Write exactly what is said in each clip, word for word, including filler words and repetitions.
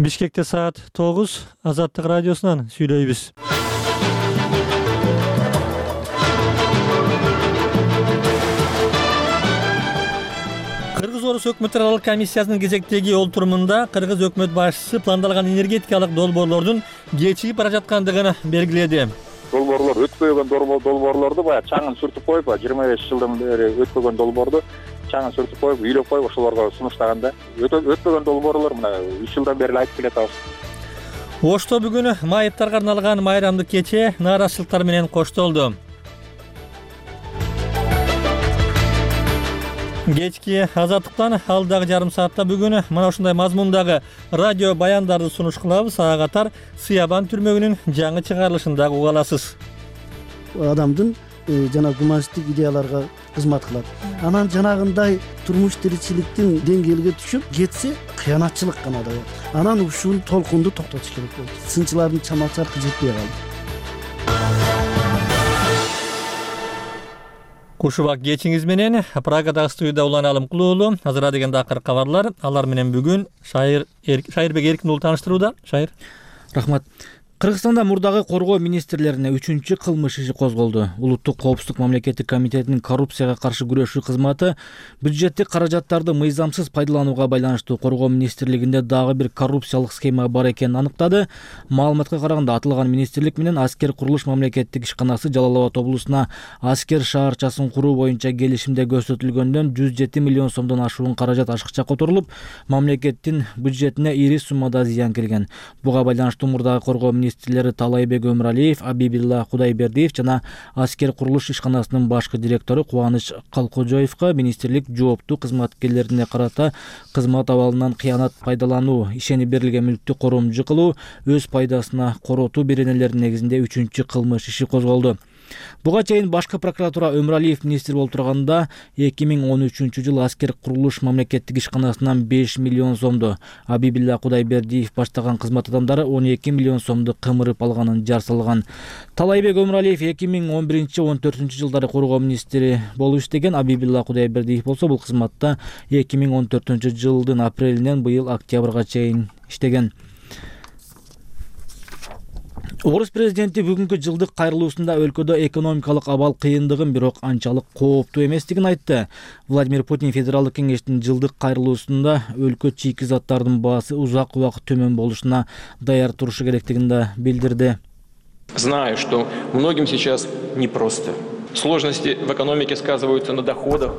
Бишкекте саат тогуз, Азаттык радиосунан сүйлөйбүз. Кыргыз-Орус өкмөт аралык комиссиясынын кезектеги олтурумунда Кыргыз өкмөт башчысы пландалган энергетикалык долбоорлордун кечигип бара жаткандыгын белгиледи. Долбоорлор өтпөгөн долбоорлорду баягы чаңын сүртүп коюп, жыйырма беш жылдан бери өтпөгөн долбоорду чаңын сүртүп коюп, үйлөп коюп ошолорго сунуштаганда өтпөгөн долбоорлор мына үч жылдан бери айтып келатабыз. Ошто бүгүн майыптарга арналган майрамдык кече нааразычылыктар менен коштолду. Кечки Азаттыктан алдагы жарым саатта бүгүн мына ушундай мазмундагы радио баяндарды сунуш кылабыз. Ага катар Сыябан түрмөгүнүн жаңы чыгарылышын дагы уга аласыз. Адамдын жана гуманисттик идеяларга кызмат кылат. Анан жанагындай турмуш тиричиликтин деңгээлиге түшүп кетсе, кыянатчылык гана да. Анан ушул толкунду токтотуш керек болду. Сынчылардын чамасы жетпей калды. Кушубак кечиңиз менен Прагадагы студияда уланалым кылуулу. Азыр деген акыркы кабарлар. Алар менен бүгүн Шайыр Шайырбек Эркин уулу тааныштырууда. Шайыр. Рахмат. Кыргызстанда мурдагы коргоо министрлерине үчүнчү кылмыш иши козголду. Улуттук коопсуздук мамлекеттик комитетинин коррупцияга каршы күрөшүү кызматы бюджеттик каражаттарды мыйзамсыз пайдаланууга байланыштуу коргоо министрлигинде дагы бир коррупциялык схема бар экенин аныктады. Маалыматка караганда аталган министрлик менен аскер курулуш мамлекеттик ишканасы Жалал Абад облусуна аскер шаарчасын куруу боюнча келишимде көрсөтүлгөндөн жүз жети миллион сомдон ашуун каражат ашыкча которулуп, мамлекеттин бюджетине ири суммада зыян келген. Буга байланыштуу мурдагы коргоо министрлиги министрлери Талайбек Өмүралиев, Абибилла Кудайбердиев жана аскер курулуш ишканасынын башкы директору Кубаныч Калкожоевго министрлик жооптуу кызматкерлерине карата кызмат абалынан кыянат пайдалануу, ишенип берилген мүлктү коромжу кылуу, өз пайдасына коротуу беренелеринин негизинде үчүнчү кылмыш иши козголду. Буга чейин башкы прокуратура Өмүралиев министр болуп турганда эки миң он үчүнчү жылы аскер курулуш мамлекеттик ишканасынан беш миллион сомду, Абибилла Кудайбердиев баштаган кызмат адамдары он эки миллион сомду кымырып алганын жар салган. Талайбек Өмүралиев эки миң он биринчи он төртүнчү жылдары коргоо министри болуп иштеген. Абибилла Кудайбердиев болсо бул кызматта эки миң он төртүнчү жылдын апрелинен быйыл октябрга чейин иштеген. Орус президенти бүгүнкү жылдык кайрылуусунда өлкөдө экономикалык абал кыйындыгын, бирок анчалык кооптуу эместигин айтты. Владимир Путин Федералдык кеңештин жылдык кайрылуусунда өлкө чийки заттардын баасы узак убакыт төмөн болушуна даяр турушу керектигин да билдирди. Знаю, что многим сейчас непросто. Сложности в экономике сказываются на доходах.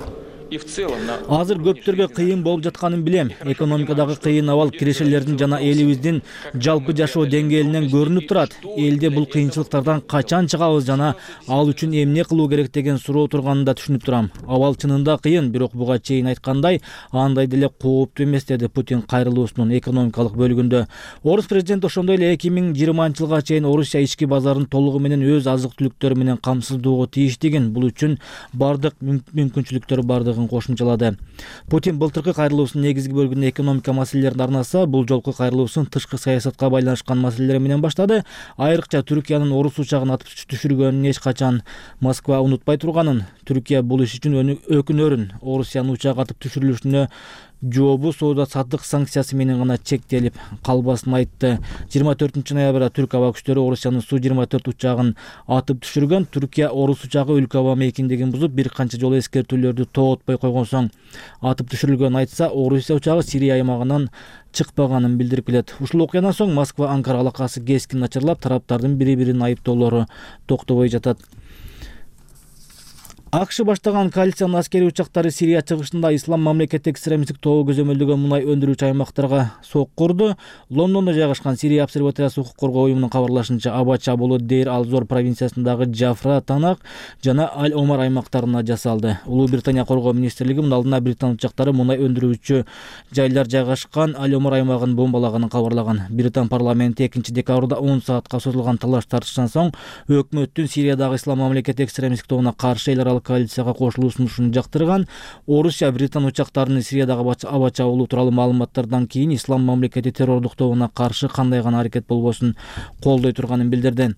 Азыр көптөргө кыйын болуп жатканын билем. Экономикадагы кыйын абал кирешелердин жана элибиздин жалпы жашоо деңгээлинен көрүнүп турат. Элде бул кыйынчылыктардан качан чыгабыз жана ал үчүн эмне кылуу керек деген суроо турганын да түшүнүп турам. Абал чынында кыйын, бирок буга чейин айткандай, андай деле кооптуу эмес, деди Путин кайрылуусунун экономикалык бөлүгүндө. Орус президенти ошондой эле эки миң жыйырманчы жылга чейин Орусия ички базарын толугу менен өз азык-түлүктөрү менен камсыздоого тийиштигин, бул үчүн бардык мүмкүнчүлүктөр бардыгын кошумчалады. Путин былтыркы кайрылуусунун негизги бөлүгүн экономика маселелерине арнаса, бул жолку кайрылуусун тышкы саясатка байланышкан маселелер менен баштады. Айрыкча Түркиянын Орус учагын атып түшүргөнүн эч качан Москва унутпай турганын, Түркия бул иш үчүн өкүнөрүн, Орусиянын учак атып түшүрүлүшүнө жообу соода саттык санкциясы менен гана чектелип калбасын айтты. жыйырма төртүнчү ноябрда Түрк аба күчтөрү Орусиянын Су жыйырма төрт учагын атып түшүргөн. Түркия Орус учагы өлкө аба мейкиндигин бузуп, бир канча жолу эскертүүлөрдү тоотпой койгон соң атып түшүрүлгөн айтса, Орусия учагы Сирия аймагынан чыкпаганын билдирип келет. Ушул окуядан соң Москва-Анкара алакасы кескин начарлап, тараптардын бири-бирин айыптоолору токтобой жатат. АКШ баштаган коалициянын аскери учактары Сирия чыгышында ислам мамлекеттик экстремисттик тобу көзөмөлдөгөн мунай өндүрүүчү аймактарга сокку урду. Лондондо жайгашкан Сирия обсерваториясы укук коргоо уюмунун кабарлашынча, Абача болу Дейр Ал-Зор провинциясындагы Джафра, Танак жана Аль-Омар аймактарына жасалды. Улуу Британия коргоо министрлиги мунун алдына британ учактары мунай өндүрүүчү жайлар жайгашкан Аль-Омар аймагын бомбалаганын кабарлаган. Британ парламенти экинчи декабрда он саатка созулган талаш тартыштан соң өкмөттүн Сириядагы ислам мамлекеттик экстремисттик тобуна каршы эл аралык коалицияга кошулуусун жактырган. Орусия Британ учактарынын Сириядагы Абача болуу тууралуу маалыматтардан кийин ислам мамлекети террордук тобуна каршы кандай гана аракет болбосун колдой турганын билдирди.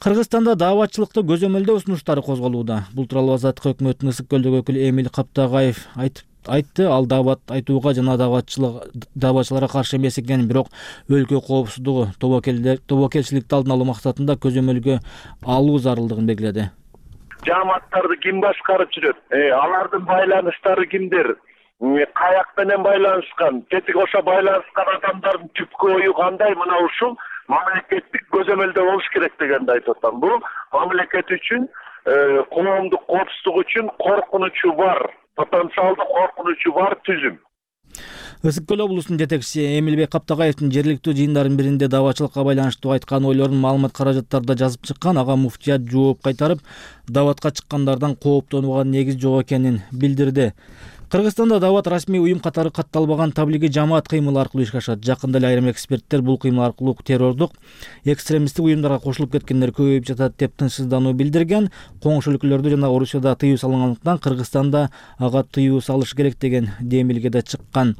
Кыргызстанда дааватчылыкты көзөмөлдөө сунуштары козголууда. Бул тууралуу Азаттык өкмөттүн Ысык көлдөгү өкүлү Эмиль Каптагаев айтып айтты. Ал даабат айтууга жана даабатчыларга каршы эмес экенин, бирок өлкө коопсуздугу, тобокелчиликти алдын алуу максатында көзөмөлгө алуу зарылдыгын белгиледи. Жамааттарды ким башкарып жүрөт? Алардын байланыштары кимдер? Каяк менен байланышкан? Тетиги ошо байланышкан адамдардын түпкү ою кандай? Мына ушул мамлекеттик көзөмөлдө болуш керек дегенди айтып атам. Бул мамлекет үчүн, коомдук коопсуздук үчүн коркунучу бар, потенциалдуу коркунучу бар түзүм. Ысык көл облусунун жетекчиси Эмилбек Каптагаевдин жергиликтүү жыйындардын биринде даабатчылыкка байланыштуу айткан ойлорун маалымат каражаттарда жазып чыккан. Ага муфтият жооп кайтарып, даабатка чыккандардан кооптонууга негиз жок экенин билдирди. Кыргызстанда даабат расмий уюм катары катталбаган таблиги жамаат кыймылы аркылуу ишке ашат. Жакында эле айрым эксперттер бул кыймыл аркылуу террордук, экстремисттик уюмдарга кошулуп кеткендер көбөйүп жатат деп тынчсыздануу билдирген. Коңшу өлкөлөрдө жана Орусияда тыюу салынгандыктан Кыргызстанда ага тыюу салыш керек деген демилге да чыккан.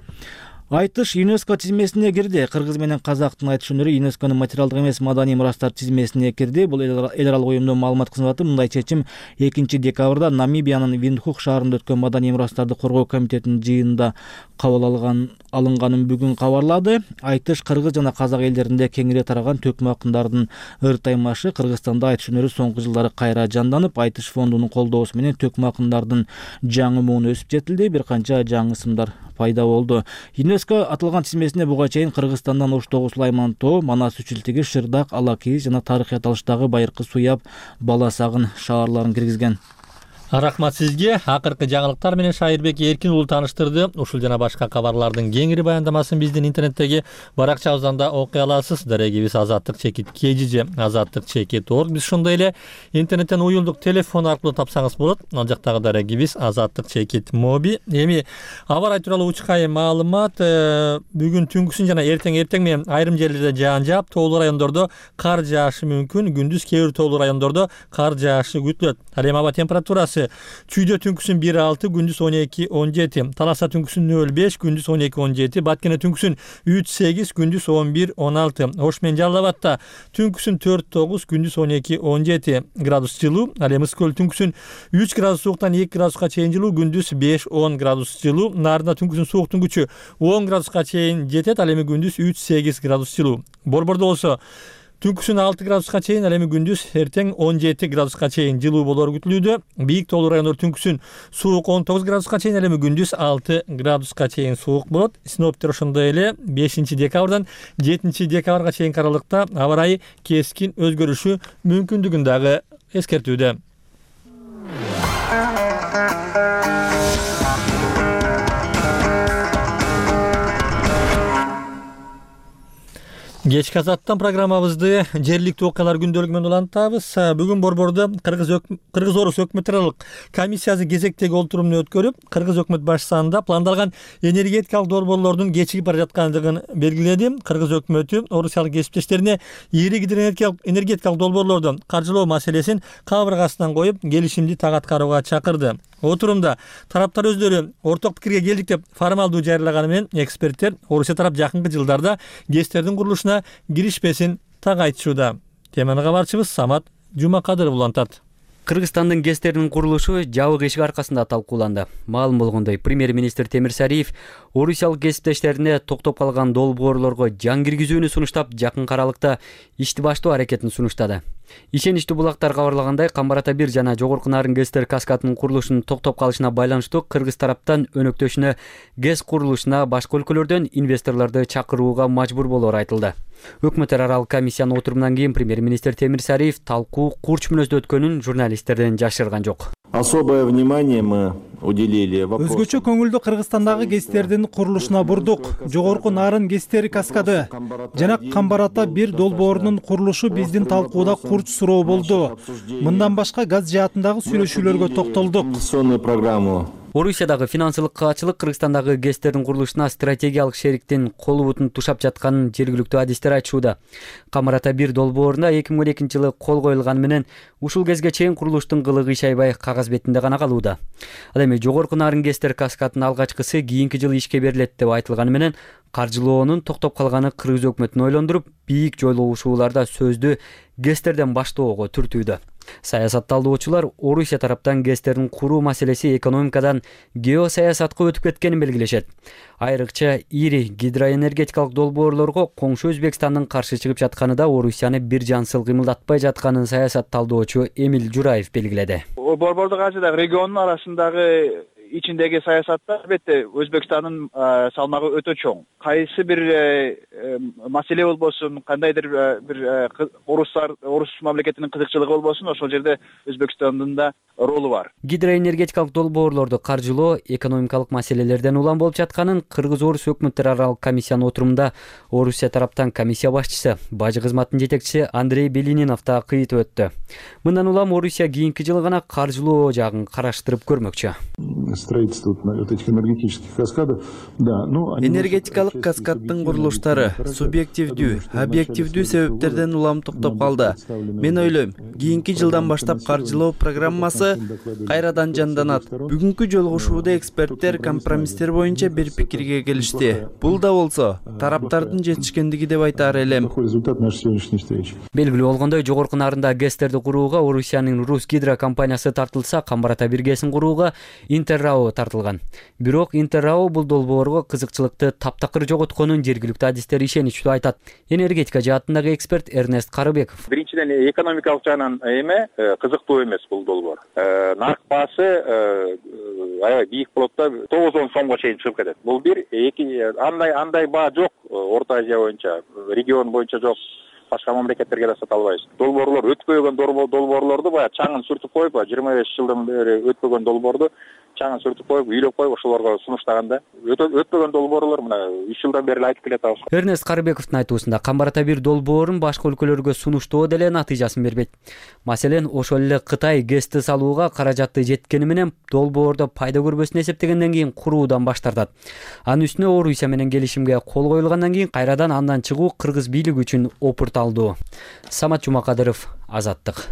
Айтыш ЮНЕСКО тизмесине кирди. Кыргыз менен казактын айтыш өнөрү ЮНЕСКОнун материалдык эмес маданий мурастар тизмесине кирди. Бул эл аралык уюмдун маалымат кызматы мындай чечим экинчи декабрда Намибиянын Виндхук шаарында өткөн маданий мурастарды коргоо комитетинин жыйынында кабыл алган алынганын бүгүн кабарлады. Айтыш кыргыз жана казак элдеринде кеңири тараган төкмө акындардын ыр таймашы. Кыргызстанда айтыш өнөрү соңку жылдары кайра жанданып, Айтыш фондунун колдоосу менен төкмө акындардын жаңы мууну өсүп жетилди. Бир канча жаңы ысымдар пайда болду. ЮНЕСКО аталган тизмесине буга чейин Кыргызстандан Ош-Тогу, Сулайман тоо, Манас Үчүлтиги, Шырдак, Алакийиз жана тарыхый аталыштагы Байыркы, Суяб, Баласагын шаарларын киргизген. Рахмат сизге. Акыркы жаңылыктар менен Шайырбек Эркин уулу тааныштырды. Ушул жана башка кабарлардын кеңири баяндамасын биздин интернеттеги баракчабыздан да окуй аласыз. Дарегибиз азаттык чекит kgj азаттык чекит орг. Биз ошондой эле интернеттен уюлдук телефон аркылуу тапсаңыз болот. Ал жактагы дарегибиз азаттык чекит моби. Эми аба ырайы тууралуу учкай маалымат. Бүгүн түнкүсүн жана эртең эртең менен айрым жерлерде жаан жаап, тоолуу райондордо кар жаашы мүмкүн. Күндүз кээ бир тоолуу райондордо кар жаашы күтүлөт. Ал эми аба температурасы Чүйдө түнкүсүн бир алты, күндүз он эки он жети, Таласа түнкүсүн нөл беш, күндүз он эки он жети, Баткене түнкүсүн үч сегиз, күндүз он бир он алты, Ош менен Жалал Абадта түнкүсүн төрт тогуз, күндүз он эки он жети градус жылуу, ал эми Ысык көл түнкүсүн үч градус сууктан эки градуска чейин жылуу, күндүз беш он градус жылуу, Нарында түнкүсүн сууктун күчү он градуска чейин жетет, ал эми күндүз үч сегиз градус жылуу. Борбордо болсо түнкүсүн алты градуска чейин, ал эми күндүз эртең он жети градуска чейин жылуу болору күтүлүүдө. Бийик тоолуу райондор түнкүсүн суук он тогуз градуска чейин, ал эми күндүз алты градуска чейин суук болот. Синоптиктер ошондой эле бешинчи декабрдан жетинчи декабрга чейинки аралыкта аба ырайы кескин өзгөрүшү мүмкүндүгүн дагы эскертүүдө. Кечки азаттан программабызды жергиликтүү окуялар күндөлүгү менен улантабыз. Бүгүн борбордо Кыргыз Кыргыз Орус өкмөт аралык комиссиясы кезектеги олтурумун өткөрүп, Кыргыз өкмөт башчысында пландалган энергетикалык долбоорлордун кечигип бара жаткандыгын белгиледи. Кыргыз өкмөтү орусиялык кесиптештерине ири энергетикалык долбоорлорду каржылоо маселесин кабыргасынан коюп, келишимди так аткарууга чакырды. Отурумда тараптар өздөрү орток пикирге келдик деп формалдуу жарыялаганы менен эксперттер Орусия тарап жакынкы жылдарда ГЭСтердин курулушуна киришпесин так айтышууда. Теманы кабарчыбыз Самат Жумакадыров улантат. Кыргызстандын ГЭСтеринин курулушу жабык эшик аркасында талкууланды. Маалым болгондой, премьер-министр Темирсариев орусиялык кесиптештерине токтоп калган долбоорлорго жан киргизүүнү сунуштап, жакын аралыкта ишти баштоо аракетин сунуштады. Ишеничтүү булактар кабарлагандай, Камбар Ата бир жана Жогорку Нарын ГЭСтер каскадынын курулушунун токтоп калышына байланыштуу Кыргыз тараптан өнөктөшүнө ГЭС курулушуна башка өлкөлөрдөн инвесторлорду чакырууга мажбур болоору айтылды. Өкмөт аралык комиссиянын отурумунан кийин премьер-министр Темирсариев талкуу курч мүнөздө өткөнүн журналисттерден жашырган жок. Особое внимание мы уделили вопросу. Өзгөчө көңүлдү Кыргызстандагы ГЭСтердин курулушуна бурдук. Жогорку Нарын ГЭСтери каскады жана Камбар Ата бир долбоорунун курулушу биздин талкууда курч суроо болду. Мындан башка газ жаатындагы сүйлөшүүлөргө токтолдук. Программу Орусиядагы финансылык каачылык Кыргызстандагы ГЭСтердин курулушуна стратегиялык шериктин колу бутун тушап жатканын жергиликтүү адистер айтышууда. Камбар Ата бир долбооруна эки миң он экинчи жылы кол коюлганы менен ушул кезге чейин курулуштун кылыгы иш аябай кагаз бетинде гана калууда. Ал эми Жогорку Нарын ГЭСтер каскадынын алгачкысы кийинки жылы ишке берилет деп айтылганы менен каржылоонун токтоп калганы Кыргыз өкмөтүн ойлондуруп, бийик жойлогушууларда сөздү ГЭСтерден баштоого түртүүдө. Саясат талдоочулар Орусия тараптан ГЭСтердин куруу маселеси экономикадан геосаясатка өтүп кеткенин белгилешет. Айрыкча ири гидроэнергетикалык долбоорлорго коңшу Өзбекстандын каршы чыгып жатканы да Орусияны бир жансыл кыймылдатпай жатканын саясат талдоочу Эмил Жураев белгиледи. Борбордук Азиядагы региондун арасындагы ичиндеги саясатта албетте Өзбекстандын салмагы өтө чоң. Кайсы бир маселе болбосун, кандайдыр бир орустар, орус мамлекетинин кызыкчылыгы болбосун, ошол жерде Өзбекстандын да ролу бар. Гидроэнергетикалык долбоорлорду каржылоо экономикалык маселелерден улам болуп жатканын Кыргыз-Орус өкмөттөр аралык комиссиянын отурумунда Орусия тараптан комиссия башчысы, бажы кызматынын жетекчиси Андрей Белининов да кыйтып өттү. Мындан улам Орусия кийинки жылы гана каржылоо жагын караштырып көрмөкчү. Строительство этих энергетических каскадов, да, ну, энергетикалык каскаддын курулуштары субъективдүү, объективдүү себептерден улам токтоп калды. Мен ойлойм, кийинки жылдан баштап каржылоо программасы кайрадан жанданат. Бүгүнкү жолугушууда эксперттер компромисстер боюнча бир пикирге келишти. Бул да болсо тараптардын жетишкендиги деп айтаар элем. Белгилүү болгондой, жогорку нарында ГЭСтерди курууга Орусиянын Рус Гидро компаниясы тартылса, Камбарата биргесин курууга Интеррао тартылган. Бирок Интеррао бул долбоорго кызыкчылыкты таптакыр жоготконун жергиликтүү адистер ишеничтүү айтат. Энергетика жаатындагы эксперт Эрнест Карыбеков. Биринчиден экономикалык жагынан эме кызыктуу эмес бул долбоор. Нарк баасы аябай бийик болот да, тогуз он сомго чейин чыгып кетет. Бул бир, эки андай андай баа жок Орто Азия боюнча, регион боюнча жок. Башка мамлекеттерге да сата албайбыз. Долбоорлор өтпөгөн долбоорлорду баягы чаңын сүртүп коюп, жыйырма беш жылдан бери өтпөгөн долбоорду чаңын сүртүп коюп, үйлөп коюп ошолорго сунуштаганда өтпөгөн долбоорлор мына үч жылдан бери айтып келет абыз. Эрнест Карыбековдун айтуусунда Камбарата бир долбоорун башка өлкөлөргө сунуштоо деле натыйжасын бербейт. Маселен, ошол эле Кытай ГЭСти салууга каражаты жеткени менен долбоордо пайда көрбөсүн эсептегенден кийин куруудан баш тартат. Анын үстүнө Орусия менен келишимге кол коюлгандан кийин кайрадан андан чыгуу кыргыз бийлиги үчүн опурталдуу. Самат Жумакадыров, Азаттык.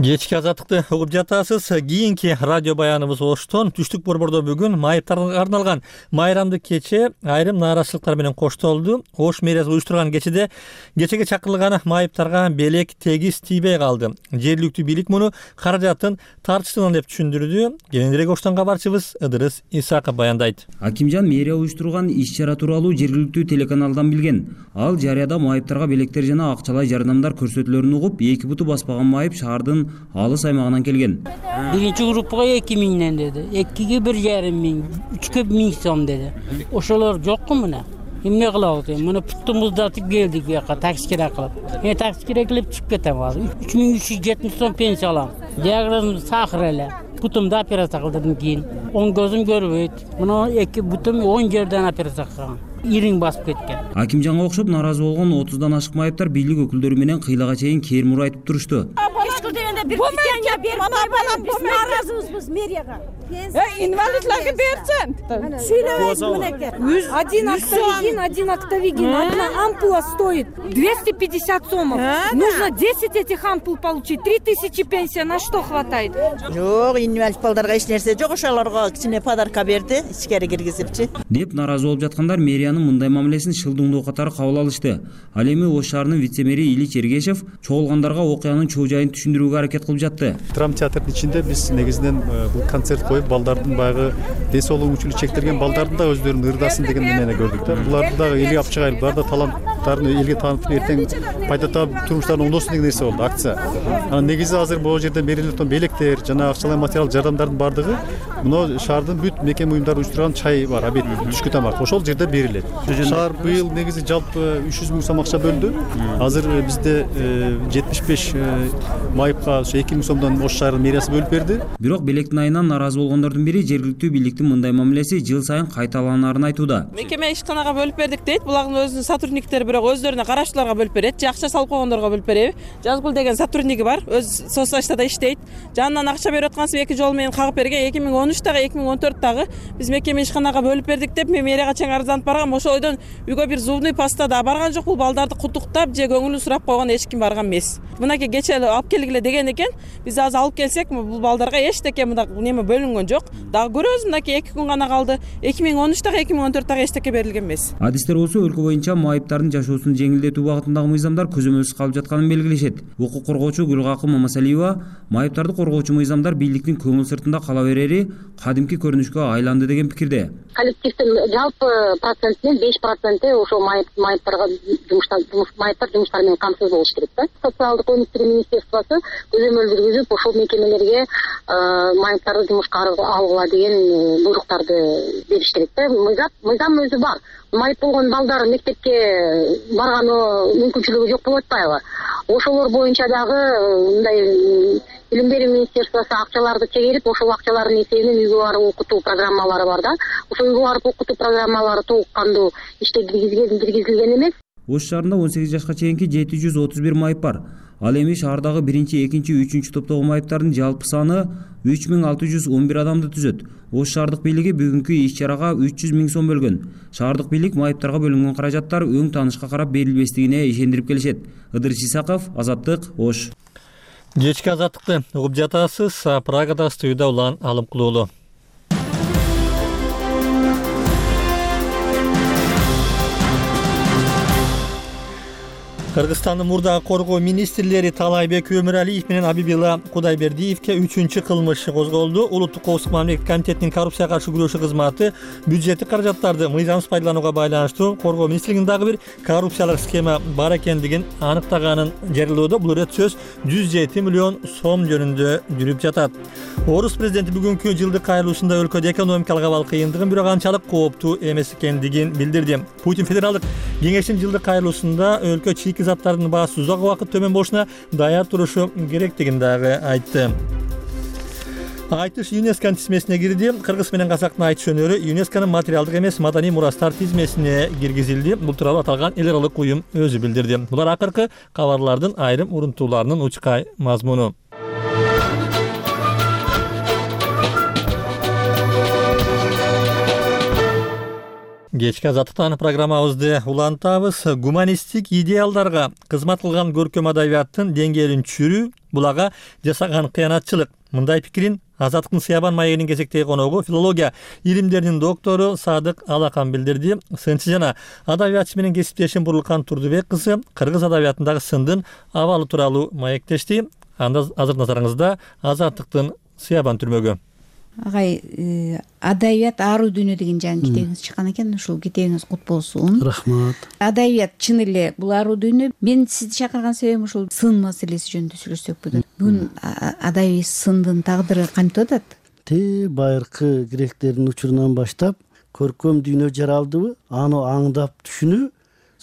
Кечки Азаттыкты угуп жатасыз. Кийинки радио баяныбыз Оштон. Түштүк борбордо бүгүн майыптарга арналган майрамдык кече айрым нааразычылыктар менен коштолду. Ош мэриясы уюштурган кечеде кечеге чакырылган майыптарга белек тегиз тийбей калды. Жергиликтүү бийлик муну каражаттын тартыштыгынан деп түшүндүрдү. Кененирээк Оштон кабарчыбыз Ыдырыс Исаков баяндайт. Акимжан мэрия уюштурган иш-чара тууралуу жергиликтүү телеканалдан билген. Ал жарыяда майыптарга белектер жана акчалай жардамдар көрсөтүлөрүн угуп, эки буту баспаган майып шаардын алыс аймагынан келген. Биринчи группага эки миңден деди, экиге бир жарым миң, үчкө миң сом деди. Ошолор жокку мына. Эмне кылабыз? Муну путтумуздатып келдик буяка такси кирет кылып. Мен такси кирет кылып чыгып кетем азыр. үч миң үч жүз жетимиш сом пенсия алам. Диагнозум сахар эле. Бутумда операция кылдырдым кийин. Оң көзүм көрбөйт. Муну эки бутум он жерден операция кылган. Ириң басып кеткен. Акимжанга окшоп нааразы болгон отуздан ашык майыптар бийлик өкүлдөрү менен кыйлага чейин кээрмур айтып турушту. Бир питание берип койбайлар, биз нааразыбыз мэрияга. Инвалидлерге берсин. Сүйлөбөйсүң мынеке. Один октавигин, один октавигин. Одна ампула стоит двести пятьдесят сомов. Нужно десять этих ампул получить. три тысячи пенсия. На что хватает? Жок, инвалид балдарга эч нерсе жок. Ошолорго кичине подарка берди, ичкери киргизипчи. Деп нааразы болуп жаткандар мэриянын мындай мамилесин шылдыңдоо катары кабыл алышты. Ал эми Ош шаарынын вице-мэри Илич Эргешев чогулгандарга окуянын чоо жайын түшүндүрүүгө аракет кылып жатты. Драма театрдын ичинде биз негизинен бул концерт коюп, балдардын баягы ден соолугу мүчүлүк чектелген балдардын да өздөрүнүн ырдасын деген эмени көрдүк да. Буларды дагы элге алып чыгайлы, булар да таланттарын элге таанытып, эртең пайда таап турмуштарын оңдосун деген нерсе болду, акция. Анан негизи азыр бул жерде берилген белектер жана акчалай материал жардамдардын бардыгы мына шаардын бүт мекеме уюмдары уюштурган чай бар, обед, түшкү тамак ошол жерде берилет. Шаар быйыл негизи жалпы үч жүз миң сом акча бөлдү. Азыр бизде жетимиш беш майыпка эки миң сомдон Ош шаарынын мэриясы бөлүп берди. Бирок белектин айынан нааразы болгондордун бири жергиликтүү бийликтин мындай мамилеси жыл сайын кайталанарын айтууда. Мекеме ишканага бөлүп бердик дейт. Булардын өзүнүн сотрудниктери бирок бирок өздөрүнө караштууларга бөлүп берет же акча салып койгондорго бөлүп береби. Жазгүл деген сотрудниги бар, өз соцсочтада иштейт. Жанынан акча берип аткансып эки жол менен кагып берген. эки миң он үчтагы эки миң он төрттагы биз мекеме ишканага бөлүп бердик деп мен мэрияга чейин арызданып баргам. Ошол ойдон үйгө бир зубный поста да барган жок. Бул балдарды куттуктап же көңүлүн сурап койгон эч ким барган эмес. Мынакей кече эле алып келгиле деген экен. Биз азыр алып келсек, бул балдарга эчтеке мындай неме бөлүнгөн жок. Дагы көрөбүз, мынакей эки күн гана калды. эки миң он үчтагы эки миң он төрттагы эчтеке берилген эмес. Адистер болсо өлкө боюнча майыптардын жашоосун жеңилдетүү багытындагы мыйзамдар көзөмөлсүз калып жатканын белгилешет. Укук коргоочу Гүлгакым Мамасалиева майыптарды коргоочу мыйзамдар бийликтин көңүл сыртында кала берери кадимки көрүнүшкө айланды деген пикирде. Коллективдин жалпы процентинин беш проценти ошол майыптарга жумуштар майыптар жумуштар менен камсыз болуш керек да. Социалдык өнүктүрүү министерствосу көзөмөл жүргүзүп ошол мекемелерге майыптарды жумушка алгыла деген буйруктарды бериш керек да. Мыйзам мыйзам өзү бар. Майып болгон балдар мектепке барганы мүмкүнчүлүгү жок болуп атпайбы? Ошолор боюнча дагы мындай Билим берүү министерствосу акчаларды чегерип, ошол акчалардын эсебинен үйгө барып окутуу программалары бар да. Ошол үйгө барып окутуу программалары толук кандуу иште киргизилген эмес. Ош шаарында он сегиз жашка чейинки жети жүз отуз бир майып бар. Ал эми шаардагы биринчи, экинчи, үчүнчү топтогу майыптардын жалпы саны үч миң алты жүз он бир адамды түзөт. Ош шаардык бийлиги бүгүнкү иш-чарага үч жүз миң сом бөлгөн. Шаардык бийлик майыптарга бөлүнгөн каражаттар өң таанышка карап берилбестигине ишендирип келишет. Ыдырыс Исаков, Азаттык, Ош. Кечки азаттыкты угуп жатасыз. Прагада студияда Улан Алымкулуулу. Кыргызстандын мурдагы коргоо министрлери Талайбек Өмүралиев менен Абибила Кудайбердиевке үчүнчү кылмыш козголду. Улуттук коопсуздук мамлекеттик комитетинин коррупцияга каршы күрөшүү кызматы бюджеттик каражаттарды мыйзамсыз пайдаланууга байланыштуу коргоо министрлигинин дагы бир коррупциялык схема бар экендигин аныктаганын жарыялоодо. Бул ирет сөз жүз жети миллион сом жөнүндө жүрүп жатат. Орус президенти бүгүнкү жылдык кайрылуусунда өлкөдө экономикалык абал кыйындыгын, бирок анчалык кооптуу эмес экендигин билдирди. Путин федералдык кеңештин жылдык кайрылуусунда өлкө чийки заттардын баасы узак убакыт төмөн болушуна даяр турушу керектигин дагы айтты. Айтыш ЮНЕСКО тизмесине кирди. Кыргыз менен казактын айтыш өнөрү ЮНЕСКОнун материалдык эмес маданий мурастар тизмесине киргизилди. Бул тууралуу аталган эл аралык уюм өзү билдирди. Булар акыркы кабарлардын айрым урунтууларынын учкай мазмуну. Кечки азаттыктан программабызды улантабыз. Гуманисттик идеалдарга кызмат кылган көркөм адабияттын деңгээлин түшүрүү бул ага жасаган кыянатчылык. Мындай пикирин Азаттыктын Сыябан маегинин кезектеги коногу филология илимдеринин доктору Садык Алакан билдирди. Сынчы жана адабиятчы менен кесиптешим Бурлукан Турдубек кызы кыргыз адабиятындагы сындын абалы тууралуу маектешти. Анда азыр назарыңызда Азаттыктын Сыябан түрмөгү. Агай, адабият аруу дүйнө деген жаңы китебиңиз чыккан экен. Ушул китебиңиз кут болсун. Рахмат. Адабият чын эле бул аруу дүйнө. Мен сизди чакырган себебим ушул сын маселеси жөнүндө сүйлөшсөк бүгүн. Бүгүн адабий сындын тагдыры кантип атат? Те байыркы гректердин учурунан баштап көркөм дүйнө жаралдыбы, аны аңдап түшүнүү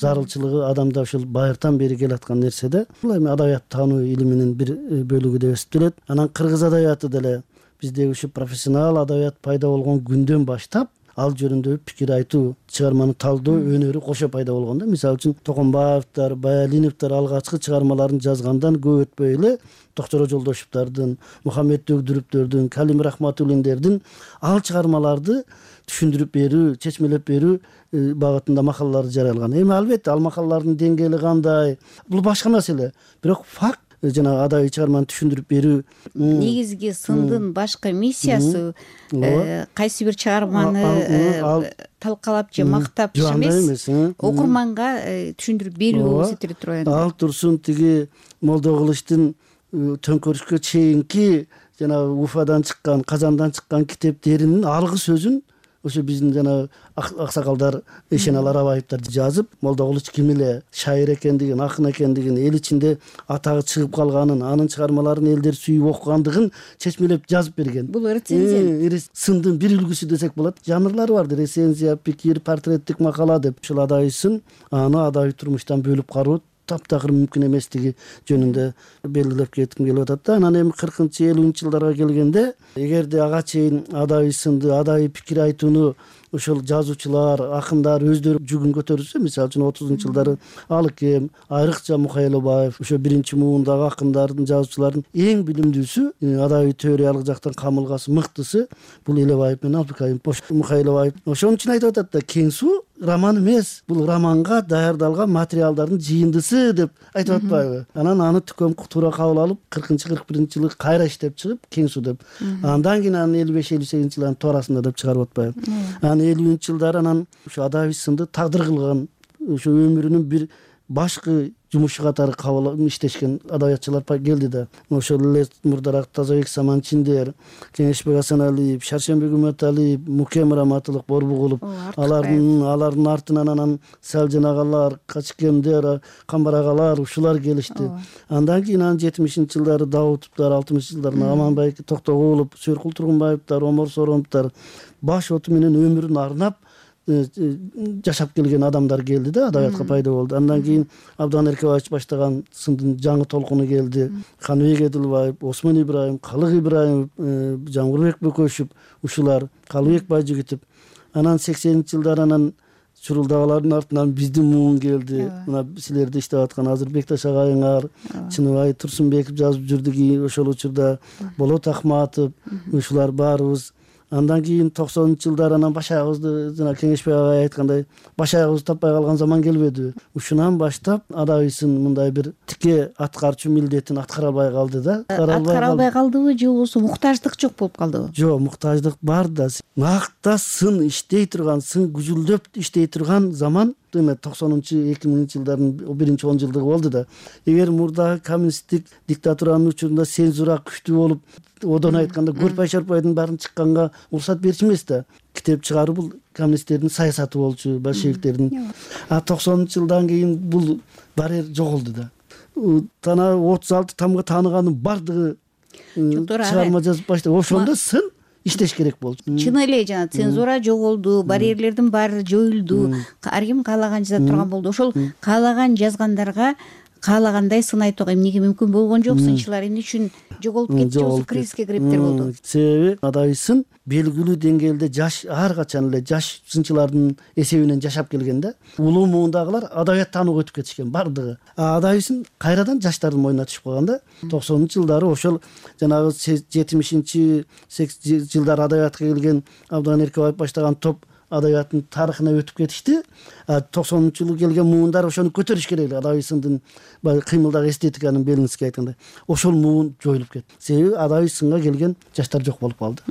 зарылчылыгы адамда ушул байыртан бери келаткан нерсе да. Бул эми адабият таануу илиминин бир бөлүгү деп эсептелет. Анан кыргыз адабияты деле биздеги ушу профессионал адабият пайда болгон күндөн баштап ал жөнүндө пикир айтуу, чыгарманы талдоо өнөрү кошо пайда болгон да. Мисалы үчүн Токомбаевдер, Баялиновдер алгачкы чыгармаларын жазгандан көп өтпөй эле Доктор Жолдошевдардын, Мухаммед Өгдүрүптөрдүн, Калим Рахматуллиндердин ал чыгармаларды түшүндүрүп берүү, чечмелеп берүү багытында макалалар жарыялган. Эми албетте ал макалалардын деңгээли кандай, бул башка маселе. Бирок факт жана адабий чыгарманы түшүндүрүп берүү. Негизги сындын башкы миссиясы кайсы бир чыгарманы талкалап же мактап эмес, окурманга түшүндүрүп берүү эсептелип турат. Ал турсун тиги Молдокулучтун төңкөрүшкө чейинки жана Уфадан чыккан, Казандан чыккан китептеринин алгы сөзүн ошо биздин жана аксакалдар, Эшеналар Абаевдер жазып, Молдокулуч ким эле, шайыр экендигин, акын экендигин, эл ичинде атагы чыгып калганын, анын чыгармаларын элдер сүйүп окугандыгын чечмелеп жазып берген. Бул рецензия. Сындын бир үлгүсү десек болот. Жанрлары бар, рецензия, пикир, портреттик макала деп. Ушул адайсын аны адабий турмуштан бөлүп кароо таптакыр мүмкүн эместиги жөнүндө белгилеп кетким келип атат да. Анан эми кыркынчы элүүнчү жылдарга келгенде эгерде ага чейин адай сынды адай пикир айтууну ошол жазуучулар, акындар өздөрү жүгүн көтөрүлсө, мисалы үчүн отузунчу жылдары Алыкем, айрыкча Мухайлабаев, ошо биринчи муундагы акындардын, жазуучулардын эң билимдүүсү, адабий теориялык жактан камылгасы мыктысы бул Элебаев менен Абдыкайым Мухайлабаев. Ошон үчүн айтып атат да, Кең суу роман эмес, бул романга даярдалган материалдардын жыйындысы деп айтып атпайбы? Анан аны түкөм туура кабыл алып, кыркынчы кырк биринчи жылы кайра иштеп чыгып, Кең суу деп. Андан кийин анан элүү беш элүү сегизинчи жылдын туурасында деп чыгарып атпайбы? Анан элүүнчү жылдары анан ошо адабий сынды тагдыр кылган, ошо өмүрүнүн бир башкы жумушу катары кабыл иштешкен адабиятчылар келди да. Ошол эле мурдараак Тазабек Саманчиндер, Кеңешбек Асаналиев, Шаршембек Үмөталиев, Мукем Раматылык, Борбугулов, алардын алардын артынан анан Салжан агалар, Качкемдер, Камбар агалар ушулар келишти. Андан кийин анан жетимишинчи жылдары Даутовдор, алтымышынчы жылдары Аманбай Токтогулов, Сөркул Тургунбаевдер, Омор Соороновдор баш оту менен өмүрүн арнап жашап келген адамдар келди да, адабиятка пайда болду. Андан кийин Абдан Эркебаевич баштаган сындын жаңы толкуну келди. Каныбек Эдилбаев, Осмон Ибраим, Калык Ибраимов, Жамгырбек Бөкөшев, ушулар, Калыбек Байжигитов. Анан сексенинчи жылдары анан чурулдагылардын артынан биздин муун келди. Мына силерде иштеп аткан азыр Бекташ агайыңар, Чыныбай Турсунбеков жазып жүрдү, ошол учурда Болот Акматов, ушулар баарыбыз. Андан кийин токсонунчу жылдары анан баш аягыбызды, жана Кеңешбек агай айткандай, баш аягыбызды таппай калган заман келбеди. Ушунан баштап адабийсын мындай бир тике аткарчу милдетин аткара албай калды да. Аткара албай калдыбы же болбосо муктаждык жок болуп калдыбы? Жок, муктаждык бар да. Накта сын иштей турган, сын күзүлдөп иштей турган заман эме токсонунчу эки миңинчи жылдардын биринчи он жылдыгы болду да. Эгер мурдагы коммунисттик диктатуранын учурунда цензура күчтүү болуп, одон айтканда Көрпай Шорпайдын баарын чыкканга уруксат берчү эмес да. Китеп чыгаруу бул коммунисттердин саясаты болчу, большевиктердин. А токсонунчу жылдан кийин бул барьер жоголду да. Тана отуз алты тамга тааныганын бардыгы чыгарма жазып баштады. Ошондо сын иштеш керек болчу. Чын эле жана цензура жоголду, барьерлердин баары жоюлду. Ар ким каалаган жаза турган болду. Ошол каалаган жазгандарга каалагандай сын айтууга эмнеге мүмкүн болгон жок? Сынчылар эмне үчүн жоголуп кетти, же кризиске кириптер болду? Себеби адабий сын белгилүү деңгээлде жаш, ар качан эле жаш сынчылардын эсебинен жашап келген да. Улуу муундагылар адабият таанууга өтүп кетишкен бардыгы. А адабий сын кайрадан жаштардын мойнуна түшүп калган да. токсонунчу жылдары ошол жанагы жетимишинчи жылдары адабиятка келген Абдан Эркебаев баштаган топ адабияттын тарыхына өтүп кетишти. токсонунчу жылы келген муундар ошону көтөрүш керек эле. Адабий сындын кыймылдагы эстетиканын Белинский айткандай. Ошол муун жоюлуп кетти. Себеби адабий сынга келген жаштар жок болуп калды.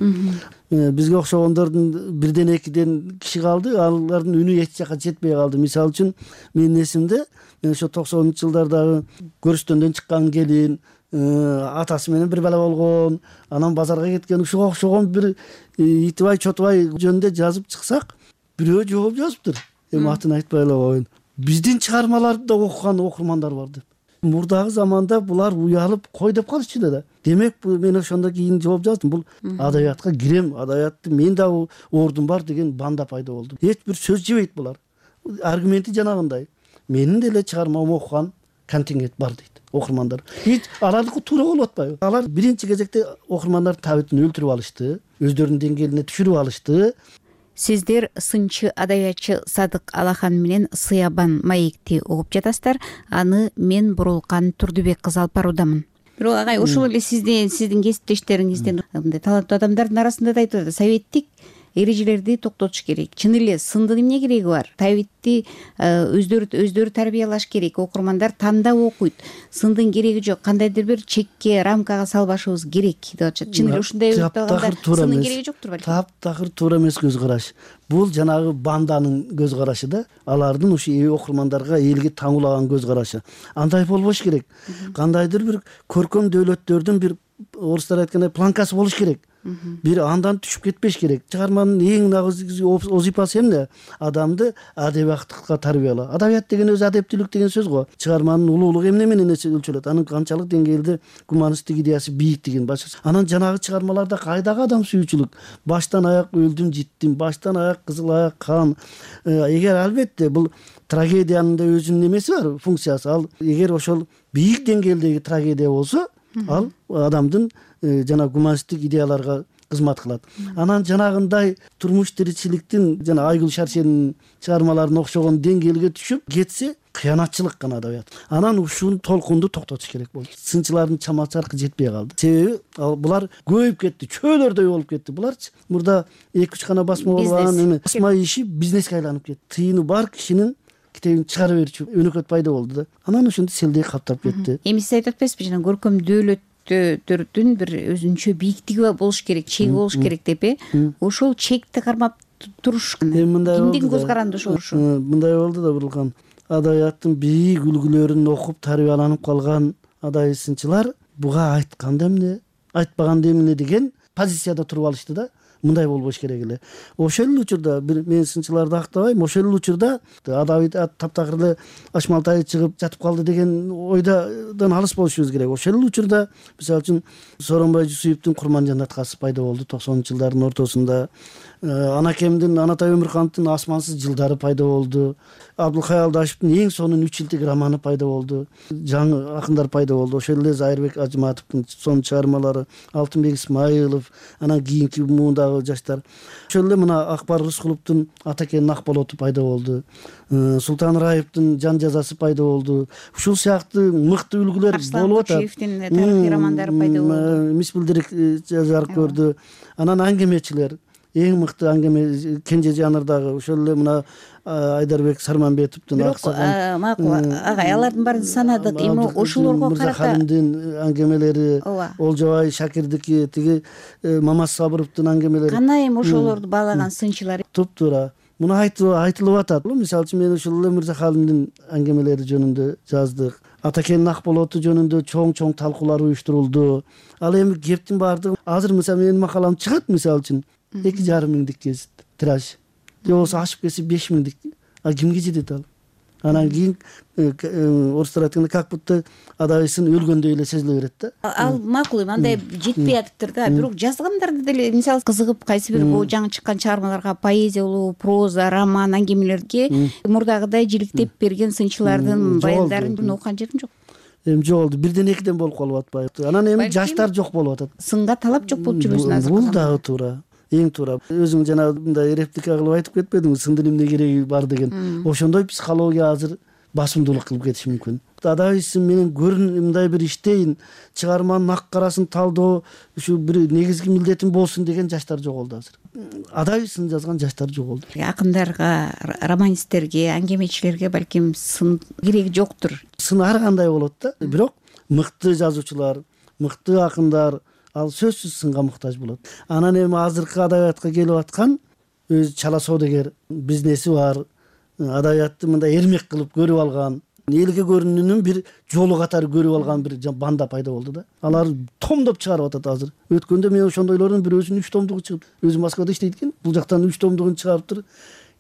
Бизге окшогондордун бирден экиден киши калды, алардын үнү эч жака жетпей калды. Мисалы үчүн менин эсимде, мен ошо токсонунчу жылдардагы көрүстөндөн чыккан келин, атасы менен бир бала болгон, анан базарга кеткен, ушуга окшогон бир Итибай Чотубай жөнүндө жазып чыксак, бирөө жооп жазыптыр. Эми атын айтпай эле коеюн. Биздин чыгармаларды да окуган окурмандар бар деп. Мурдагы заманда булар уялып кой деп калышчу да. Демек мен ошондо кийин жооп жаздым. Бул адабиятка кирем, адабиятты мен да ордум бар деген банда пайда болду. Эч бир сөз жебейт булар. Аргументи жанагындай. Менин деле чыгармамды окуган контингент бар дейт окурмандар. Эч алардыкы туура болуп атпайбы? Алар биринчи кезекте окурмандардын табитин өлтүрүп алышты, өздөрүнүн деңгээлине түшүрүп алышты. Сиздер сынчы адабиятчы Садык Алахан менен Сыябан маекти угуп жатасыздар. Аны мен Бурулкан Турдубек кызы алып баруудамын. Бирок агай, ошол эле сиздин сиздин кесиптештериңизден мындай таланттуу адамдардын арасында да айтып атат, советтик эрежелерди токтотуш керек. Чын эле сындын эмне кереги бар? Табитти өздөрү өздөрү тарбиялаш керек. Окурмандар тандап окуйт. Сындын кереги жок. Кандайдыр бир чекке, рамкага салбашыбыз керек деп атышат. Чын эле ушундай өтөгөндө сындын кереги жоктур балким. Таптакыр туура эмес көз караш. Бул жанагы банданын көз карашы да. Алардын ушу окурмандарга элге таңуулаган көз карашы. Андай болбош керек. Кандайдыр бир көркөм дөөлөттөрдүн бир орустар айткандай планкасы болуш керек. бир андан түшүп кетпеш керек. Чыгарманын эң негизги озипасы эмне? Адамды адебияттыкка тарбиялоо. Адабият деген өзү адептүүлүк деген сөз го. Чыгарманын улуулугу эмне менен өлчөлөт? Анын канчалык деңгээлде гуманисттик идеясы бийиктигин башка. Анан жанагы чыгармаларда кайдагы адам сүйүүчүлүк? Баштан аяк өлдүм життим, баштан аяк кызыл аяк кан. Эгер албетте бул трагедиянын да өзүнүн эмеси бар, функциясы. Ал эгер ошол бийик деңгээлдеги трагедия болсо, ал адамдын жана гуманисттик идеяларга кызмат кылат. Анан жанагындай турмуш тиричиликтин жана Айгүл Шаршенин чыгармаларына окшогон деңгээлге түшүп кетсе, кыянатчылык гана адабият. Анан ушул толкунду токтотуш керек болду. Сынчылардын чамасы аркы жетпей калды. Себеби булар көбөйүп кетти, чөөлөрдөй болуп кетти. Буларчы мурда эки үч гана басма болгон эме басма иши бизнеске айланып кетти. Тыйыны бар кишинин китебин чыгара берчү өнөкөт пайда болду да. Анан ошондо селдей каптап кетти. Эми сиз айтып атпайсызбы, жана көркөм дөөлөттөрдүн бир өзүнчө бийиктиги болуш керек, чеги болуш керек деп, э? Ошол чекти кармап туруш кимдин көз каранды ошол ушу? Мындай болду да, Бурулкан. Адабияттын бийик үлгүлөрүн окуп тарбияланып калган адабий сынчылар буга айтканда эмне, айтпаганда эмне деген позицияда туруп алышты да. Мындай болбош керек эле. Ошол эле учурда бир мен сынчыларды актабайм, ошол эле учурда адабий таптакыр эле Ашмалтай чыгып жатып калды деген ойдан алыс болушубуз керек. Ошол эле учурда мисалы үчүн Сооронбай Жусуевдин Курманжан аткасы пайда болду токсонунчу жылдардын ортосунда. Анакемдин Анатай Өмүрхановдун Асмансыз жылдары пайда болду. Абдылкай Алдашевдин Эң сонун үч жылдык романы пайда болду. Жаңы акындар пайда болду. Ошол эле Зайырбек Ажыматовдун сонун чыгармалары, Алтынбек Исмаилов, анан кийинки муундагы жаштар. Ошол эле мына Акбар Рыскуловдун Атакенин Акболоту пайда болду. Султан Раевдин Жан жазасы пайда болду. Ушул сыяктуу мыкты үлгүлөр болуп атат. Арслан Кучиевдин тарыхый романдары пайда болду. Мисбилдирик жарык көрдү. Анан аңгемечилер, эң мыкты аңгеме Кенже жанрдагы ошол эле мына Айдарбек Сарманбетовдун аксаган макул агай, алардын баарын санадык. Эми ошолорго карата Халимдин аңгемелери, Олжобай Шакирдики, тиги Мамат Сабыровдун аңгемелери. Кана эми ошолорду баалаган сынчылар туп-туура муну айтылып атат. Мисалы үчүн мен ошол эле Мырза Халимдин аңгемелери жөнүндө жаздык. Атакенин Акболоту жөнүндө чоң-чоң талкуулар уюштурулду. Ал эми кептин баардыгы азыр мисалы менин макалам чыгат, мисалы үчүн эки жарым миңдик гезит тираж. Же болбосо ашып кетсе беш миңдик. А кимге жетет ал? Анан кийин орустар айтканда как будто адабийсын өлгөндөй эле сезиле берет да. Ал макул эми андай жетпей атыптыр да. Бирок жазгандарды деле мисалы кызыгып кайсы бир жаңы чыккан чыгармаларга, поэзия болобу, проза, роман, аңгемелерге мурдагыдай жиликтеп берген сынчылардын баяндарын окуган жерим жок. Эми жоголду, бирден экиден болуп калып атпайбы? Анан эми жаштар жок болуп атат. Сынга талап жок болуп жүрбөсүн азыр. Бул дагы туура. Эң туура. Өзүң жана мындай реплика кылып айтып кетпедиңби, сындын эмне кереги бар деген. Ошондой психология азыр басымдуулук кылып кетиши мүмкүн. Адабийсин менен көрүн мындай бир иштейин, чыгарманын ак карасын талдоо ушу бир негизги милдетим болсун деген жаштар жоголду азыр. Адабийсын жазган жаштар жоголду. Акындарга, романисттерге, аңгемечилерге балким сын кереги жоктур. Сын ар кандай болот да. Бирок мыкты жазуучулар, мыкты акындар ал сөзсүз сынга муктаж болот. Анан эми азыркы адабиятка келип аткан өзү чала соодагер бизнеси бар, адабиятты мындай эрмек кылып көрүп алган, элге көрүнүүнүн бир жолу катары көрүп алган бир банда пайда болду да. Алар томдоп чыгарып атат азыр. Өткөндө мен ошондойлордун бирөөсүнүн үч томдугу чыгып, өзү Москвада иштейт экен, бул жактан үч томдугун чыгарыптыр.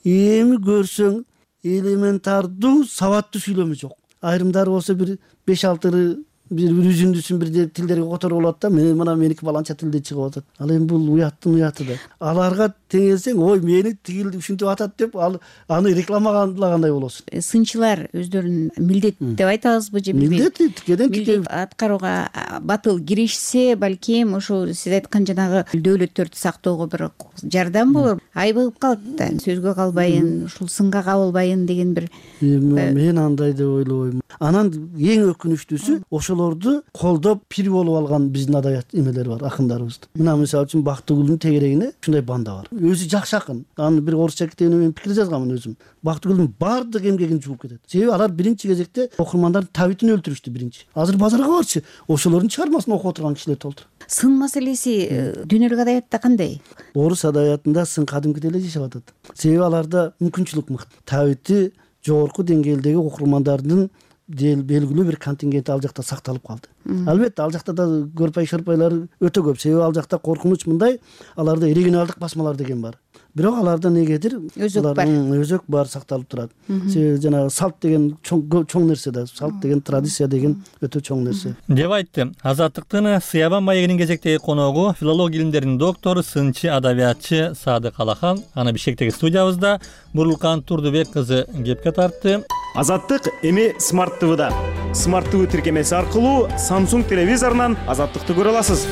Эми көрсөң элементардуу сабаттуу сүйлөмү жок. Айрымдары болсо бир беш алты бир үзүндүсүн бир тилдерге которуп алат да, мен мына меники баланча тилде чыгып атат. Ал эми бул уяттын уяты да. Аларга теңелсең, ой мени тигил ушинтип атат деп ал аны рекламалагандай болосуң. Сынчылар өздөрүн милдет деп айтабызбы же билбейм. Милдет тикеден тике аткарууга батыл киришсе, балким ошол сиз айткан жанагы дөөлөттөрдү сактоого бир жардам болор. Айбыгып калат да, сөзгө калбайын, ушул сынга кабылбайын деген бир. Мен андай деп ойлобойм. Анан эң өкүнүчтүүсү ошолорду колдоп пир болуп алган биздин адабият эмелер бар, акындарыбыз. Мына мисалы үчүн Бактыгүлдүн тегерегине ушундай банда бар. Өзү жакшы акын. Аны бир орусча китебине мен пикир жазганмын өзүм. Бактыгүлдүн баардык эмгегин жууп кетет. Себеби алар биринчи кезекте окурмандардын табитин өлтүрүштү биринчи. Азыр базарга барчы, ошолордун чыгармасын окуп отурган кишилер толтур. Сын маселеси дүйнөлүк адабиятта кандай? Орус адабиятында сын кадимкидей эле жашап атат. Себеби аларда мүмкүнчүлүк мыкты. Табити жогорку деңгээлдеги окурмандардын белгилүү бир контингент ал жакта сакталып калды. Албетте ал жакта да көрпай шырпайлар өтө көп, себеби ал жакта коркунуч мындай, аларда оригиналдык басмалар деген бар. Бирок аларда негедир өзөк бар, өзөк бар сакталып турат. Себеби жанагы салт деген чоң чоң нерсе да, салт деген традиция деген өтө чоң нерсе. Деп айтты Азаттыктын Сыябан маегинин кезектеги коногу филология илимдеринин доктору, сынчы, адабиятчы Садык Алахан. Аны Бишкектеги студиябызда Бурулкан Турдубек кызы кепке тартты. Азаттык эми Смарт ТВда. Смарт ТВ тиркемеси аркылуу Samsung телевизорунан Азаттыкты көрө аласыз.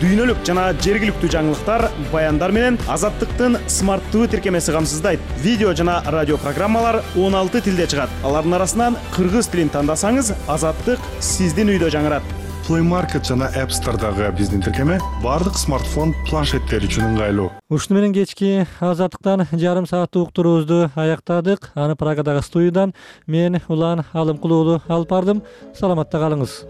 Дүйнөлүк жана жергиликтүү жаңылыктар, баяндар менен Азаттыктын Смарт ТВ тиркемеси камсыздайт. Видео жана радио программалар он алты тилде чыгат. Алардын арасынан кыргыз тилин тандасаңыз, Азаттык сиздин үйдө жаңырат. Play Market жана App Store'дагы биздин тиркеме бардык смартфон, планшеттер үчүн ыңгайлуу. Ушуну менен кечки Азаттыктан жарым сааттык уктуруубузду аяктадык. Аны Прагадагы студиядан мен Улан Алымкулуулу алып бардым. Саламатта калыңыз.